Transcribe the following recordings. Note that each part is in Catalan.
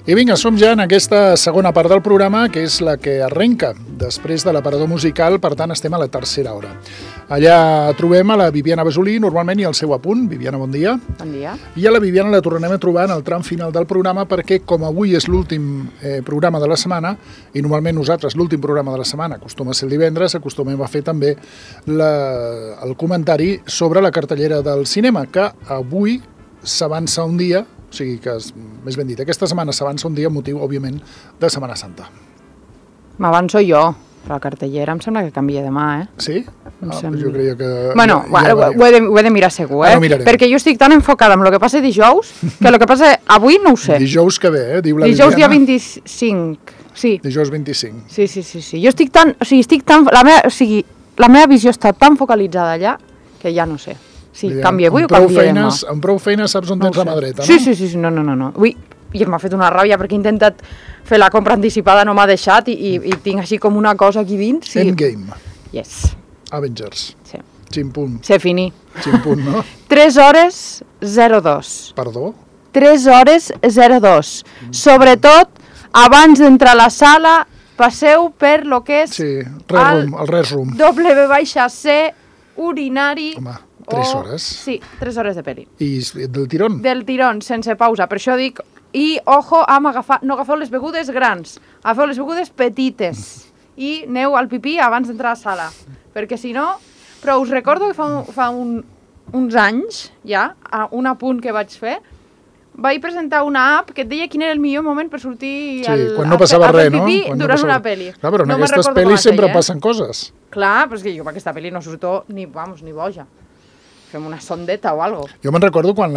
I vinga, som ja en aquesta segona part del programa, que és la que arrenca després de l'aparador musical, per tant estem a la tercera hora. Allà trobem a la Viviana Basolí, normalment, i al seu apunt. Viviana, bon dia. Bon dia. I a la Viviana la tornarem a trobar en el tram final del programa perquè, com avui és l'últim programa de la setmana, i normalment nosaltres l'últim programa de la setmana acostuma a ser el divendres, acostumem a fer també el comentari sobre la cartellera del cinema, que avui s'avança un dia, o sigui que, més ben dit, aquesta setmana s'avança un dia motiu, òbviament, de Setmana Santa. M'avanço jo, però la cartellera em sembla que canvia demà, Sí? Jo creia que... Bueno, ho he de mirar segur, perquè jo estic tan enfocada amb el que passa dijous, que el que passa avui no ho sé. Dijous que ve, diu la dijous Viviana. Dijous dia 25, sí. Dijous 25. Sí. Jo estic tan... La meva visió està tan focalitzada allà que ja no sé. Sí, canvia avui o canvia demà. Amb prou feines saps on tens la mà dreta, no? Sí, no. Ui, i m'ha fet una ràbia perquè he intentat fer la compra anticipada, no m'ha deixat i tinc així com una cosa aquí dins. Sí. Endgame. Yes. Avengers. Sí. Ximpunt. C'est fini. Ximpunt, no? 3 hores 02. Perdó? 3 hores 02. Sobretot, abans d'entrar a la sala, passeu per lo que és el resum. W-C, urinari... Home, 3 hores? Sí, 3 hores de pel·li. I del tirón? Del tirón, sense pausa. Per això dic, i ojo amb no agafeu les begudes grans, agafeu les begudes petites i aneu al pipí abans d'entrar a la sala. Perquè si no... Però us recordo que fa uns anys, ja, un apunt que vaig fer, vaig presentar una app que et deia quin era el millor moment per sortir quan no passava res, no? Durant una pel·li. Clar, però en aquestes pel·lis sempre passen coses. Clar, però és que jo per aquesta pel·li no surto ni boja. Fem una sondeta o algo. Jo me'n recordo quan,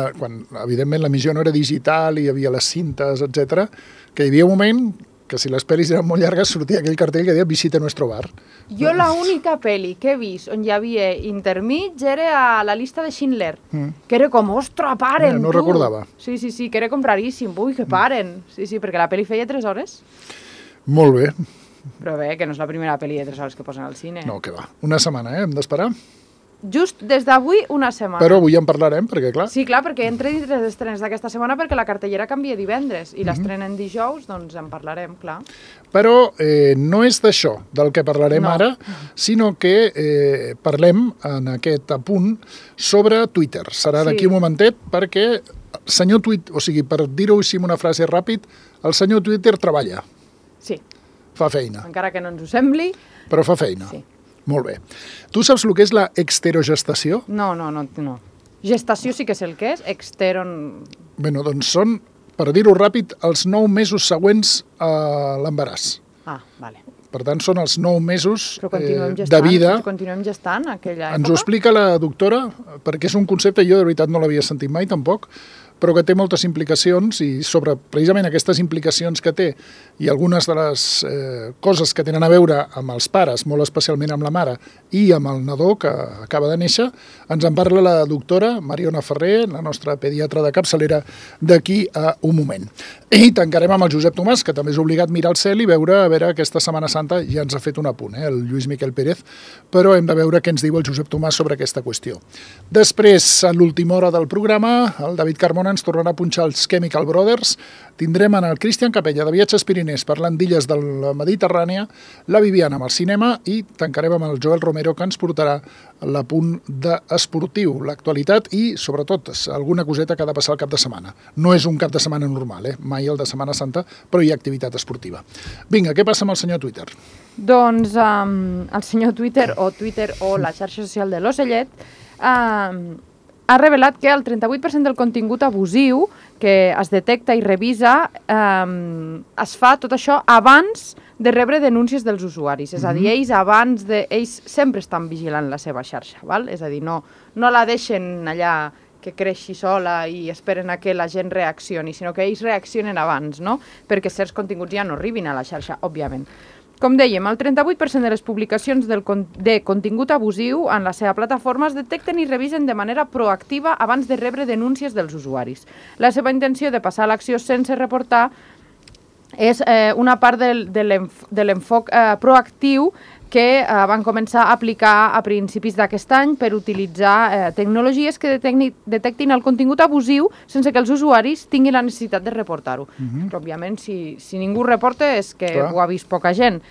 evidentment, l'emissió no era digital i hi havia les cintes, etc, que hi havia un moment que si les pel·lis eren molt llargues sortia aquell cartell que deia Visita nuestro bar. Jo l'única pel·li que he vist on hi havia intermig era a la llista de Schindler, que era com, ostres, paren, no recordava. Sí, que era com raríssim, ui, que paren. Sí, perquè la pel·li feia 3 hores. Molt bé. Però bé, que no és la primera pel·li de 3 hores que posen al cine. No, que va. Una setmana, hem d'esperar. Just des d'avui, una setmana. Però avui en parlarem, perquè clar... Sí, clar, perquè entre les estrenes d'aquesta setmana, perquè la cartellera canvia divendres, i l'estrenen dijous, doncs en parlarem, clar. Però no és d'això del que parlarem ara, sinó que parlem en aquest apunt sobre Twitter. Serà d'aquí un momentet, perquè senyor Twitter, o sigui, per dir-ho així amb una frase ràpid, el senyor Twitter treballa. Sí. Fa feina. Encara que no ens ho sembli. Però fa feina. Sí. Molt bé. Tu saps el que és la exterogestació? No. Gestació sí que és el que és, Bueno, doncs són, per dir-ho ràpid, els 9 mesos següents a l'embaràs. Ah, vale. Per tant, són els 9 mesos de vida. Però continuem gestant aquella època? Ens ho explica la doctora, perquè és un concepte, jo de veritat no l'havia sentit mai tampoc, però que té moltes implicacions i sobre precisament aquestes implicacions que té i algunes de les coses que tenen a veure amb els pares, molt especialment amb la mare i amb el nadó que acaba de néixer, ens en parla la doctora Mariona Ferrer, la nostra pediatra de capçalera, d'aquí a un moment. I tancarem amb el Josep Tomàs, que també és obligat a mirar al cel i veure aquesta Setmana Santa, ja ens ha fet un apunt, el Lluís Miquel Pérez, però hem de veure què ens diu el Josep Tomàs sobre aquesta qüestió. Després, a l'última hora del programa, el David Carmona ens tornarà a punxar els Chemical Brothers, tindrem en el Cristian Capella de Viatges Piriners parlant d'illes de la Mediterrània, la Viviana amb el cinema i tancarem amb el Joel Romero que ens portarà l'apunt d'esportiu, l'actualitat i, sobretot, alguna coseta que ha de passar el cap de setmana. No és un cap de setmana normal, mai el de Setmana Santa, però hi ha activitat esportiva. Vinga, què passa amb el senyor Twitter? Doncs el senyor Twitter o la xarxa social de l'Ocellet ha revelat que el 38% del contingut abusiu que es detecta i revisa es fa tot això abans de rebre denúncies dels usuaris. És a dir, ells sempre estan vigilant la seva xarxa, val? És a dir, no la deixen allà que creixi sola i esperen a que la gent reaccioni, sinó que ells reaccionen abans, no? Perquè certs continguts ja no arribin a la xarxa, òbviament. Com dèiem, el 38% de les publicacions de contingut abusiu en la seva plataforma es detecten i revisen de manera proactiva abans de rebre denúncies dels usuaris. La seva intenció de passar a l'acció sense reportar és una part de l'enfoc proactiu que van començar a aplicar a principis d'aquest any per utilitzar tecnologies que detectin el contingut abusiu sense que els usuaris tinguin la necessitat de reportar-ho. Però, òbviament, si ningú reporta és que ho ha vist poca gent.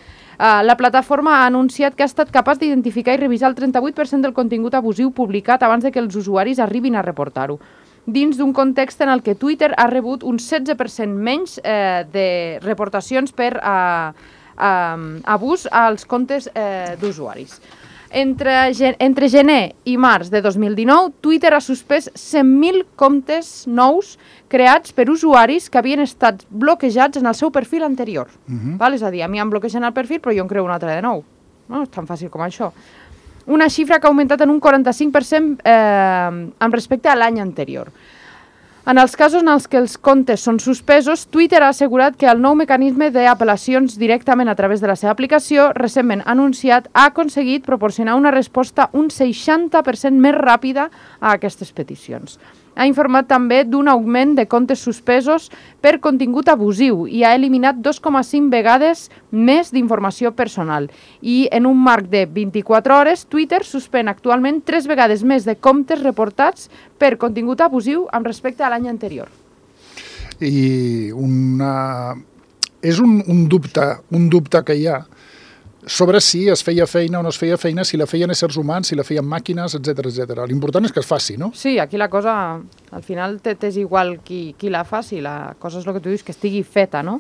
La plataforma ha anunciat que ha estat capaç d'identificar i revisar el 38% del contingut abusiu publicat abans de que els usuaris arribin a reportar-ho, dins d'un context en el que Twitter ha rebut un 16% menys de reportacions per abús als comptes d'usuaris. Entre gener i març de 2019, Twitter ha suspès 100.000 comptes nous creats per usuaris que havien estat bloquejats en el seu perfil anterior. És a dir, a mi em bloquegen el perfil, però jo en creo un altre de nou. No és tan fàcil com això. Una xifra que ha augmentat en un 45% amb respecte a l'any anterior. En els casos en els que els comptes són suspesos, Twitter ha assegurat que el nou mecanisme d'apel·lacions directament a través de la seva aplicació, recentment anunciat, ha aconseguit proporcionar una resposta un 60% més ràpida a aquestes peticions. Ha informat també d'un augment de comptes suspesos per contingut abusiu i ha eliminat 2,5 vegades més d'informació personal. I en un marc de 24 hores, Twitter suspèn actualment 3 vegades més de comptes reportats per contingut abusiu amb respecte a l'any anterior. I és un dubte que hi ha sobre si es feia feina o no es feia feina, si la feien éssers humans, si la feien màquines, etc. L'important és que es faci, no? Sí, aquí la cosa, al final t'és igual qui la faci, la cosa és el que tu dius, que estigui feta, no?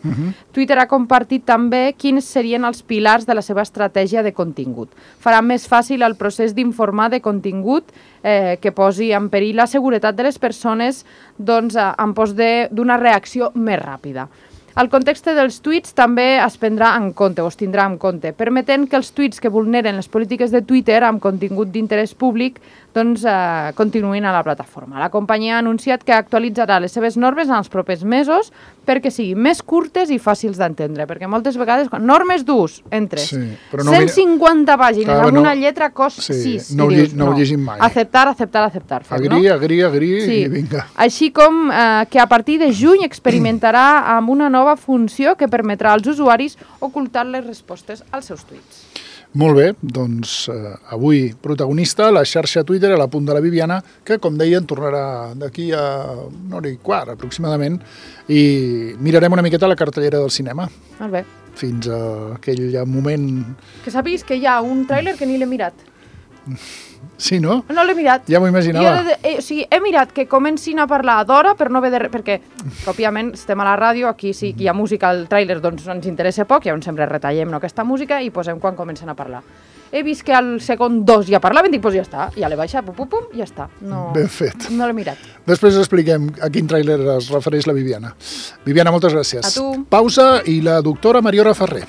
Twitter ha compartit també quins serien els pilars de la seva estratègia de contingut. Farà més fàcil el procés d'informar de contingut que posi en perill la seguretat de les persones en pos d'una reacció més ràpida. El context dels tuits també es prendrà en compte, o es tindrà en compte, permetent que els tuits que vulneren les polítiques de Twitter amb contingut d'interès públic continuïn a la plataforma. La companyia ha anunciat que actualitzarà les seves normes en els propers mesos perquè siguin més curtes i fàcils d'entendre, perquè moltes vegades, normes d'ús, entres, 150 pàgines amb una lletra cos 6, no ho llegim mai. Acceptar, Agri, i vinga. Així com que a partir de juny experimentarà amb una nova funció que permetrà als usuaris ocultar les respostes als seus tuits. Molt bé, doncs avui protagonista, la xarxa Twitter a la punt de la Viviana, que com deien tornarà d'aquí a 1h15 aproximadament, i mirarem una miqueta la cartellera del cinema. Molt bé. Fins a aquell moment... Que sàpiguis que hi ha un tràiler que ni l'he mirat. Sí, no? No l'he mirat. Ja m'ho imaginava. He mirat que comencin a parlar d'hora, però no ve de res, perquè, òbviament, estem a la ràdio, aquí sí que hi ha música al tràiler, doncs ens interessa poc, llavors sempre retallem aquesta música i posem quan comencen a parlar. He vist que al segon 2 ja parlaven, dic, doncs ja està, ja l'he baixat, pum, ja està. Ben fet. No l'he mirat. Després expliquem a quin tràiler es refereix la Viviana. Viviana, moltes gràcies. A tu. Pausa i la doctora Mariora Ferrer.